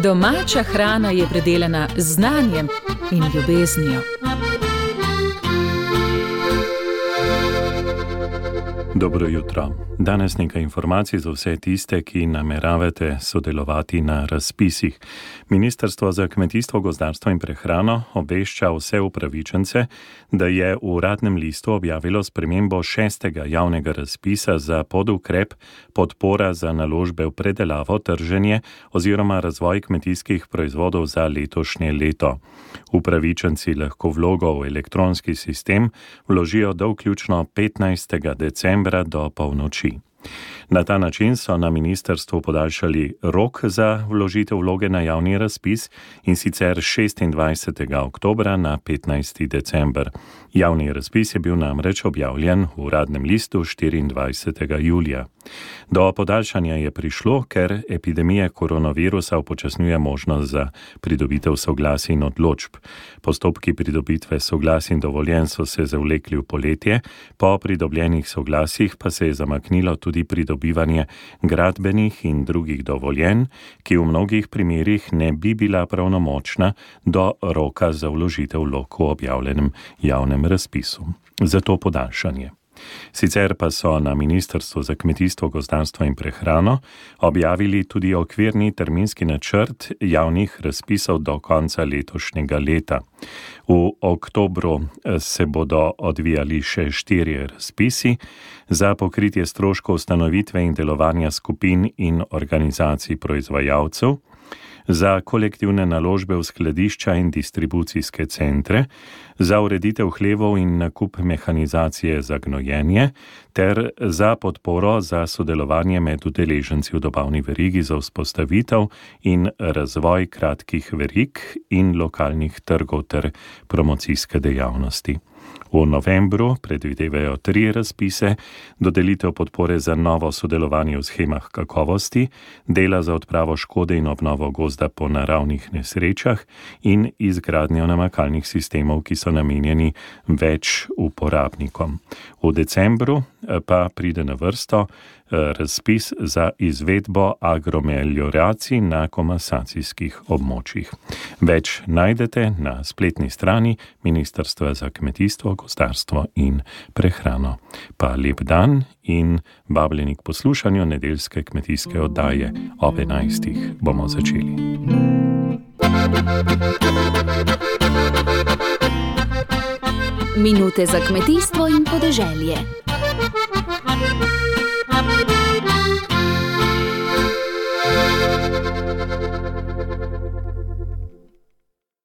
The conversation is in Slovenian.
Domača hrana je predelana z znanjem in ljubeznijo. Dobro jutro. Danes nekaj informacij za vse tiste, ki nameravate sodelovati na razpisih. Ministrstvo za kmetijstvo, gozdarstvo in prehrano obvešča vse upravičence, da je v Uradnem listu objavilo spremembo 6. javnega razpisa za podukrep podpora za naložbe v predelavo, trženje oziroma razvoj kmetijskih proizvodov za letošnje leto. Upravičenci lahko vlogo v elektronski sistem vložijo do vključno 15. decembra do polnoči. Na ta način so na ministrstvu podaljšali rok za vložitev vloge na javni razpis, in sicer 26. oktobra na 15. december. Javni razpis je bil namreč objavljen v Uradnem listu 24. julija. Do podaljšanja je prišlo, ker epidemija koronavirusa upočasnjuje možnost za pridobitev soglasij in odločb. Postopki pridobitve soglasij in dovoljenj so se zavlekli v poletje, po pridobljenih soglasjih pa se je zamaknilo tudi pridobivanje gradbenih in drugih dovoljenj, ki v mnogih primerih ne bi bila pravnomočna do roka za vložitev vlog v objavljenem javnem razpisu. Zato podaljšanje. Sicer pa so na Ministrstvu za kmetijstvo, gozdarstvo in prehrano objavili tudi okvirni terminski načrt javnih razpisov do konca letošnjega leta. V oktobru se bodo odvijali še 4 razpisi za pokritje stroškov ustanovitve in delovanja skupin in organizacij proizvajalcev, za kolektivne naložbe v skladišča in distribucijske centre, za ureditev hlevov in nakup mehanizacije za gnojenje ter za podporo za sodelovanje med udeleženci v dobavni verigi za vzpostavitev in razvoj kratkih verig in lokalnih trgov ter promocijske dejavnosti. V novembru predvidevajo 3 razpise, dodelitev podpore za novo sodelovanje v shemah kakovosti, dela za odpravo škode in obnovo gozda po naravnih nesrečah in izgradnjo namakalnih sistemov, ki so namenjeni več uporabnikom. V decembru pa pride na vrsto razpis za izvedbo agromelioracij na komasacijskih območjih. Več najdete na spletni strani Ministrstva za kmetijstvo, gozdarstvo in prehrano. Pa lep dan in vabljeni k poslušanju nedeljske kmetijske oddaje. Ob 11. bomo začeli. Minute za kmetijstvo in podeželje.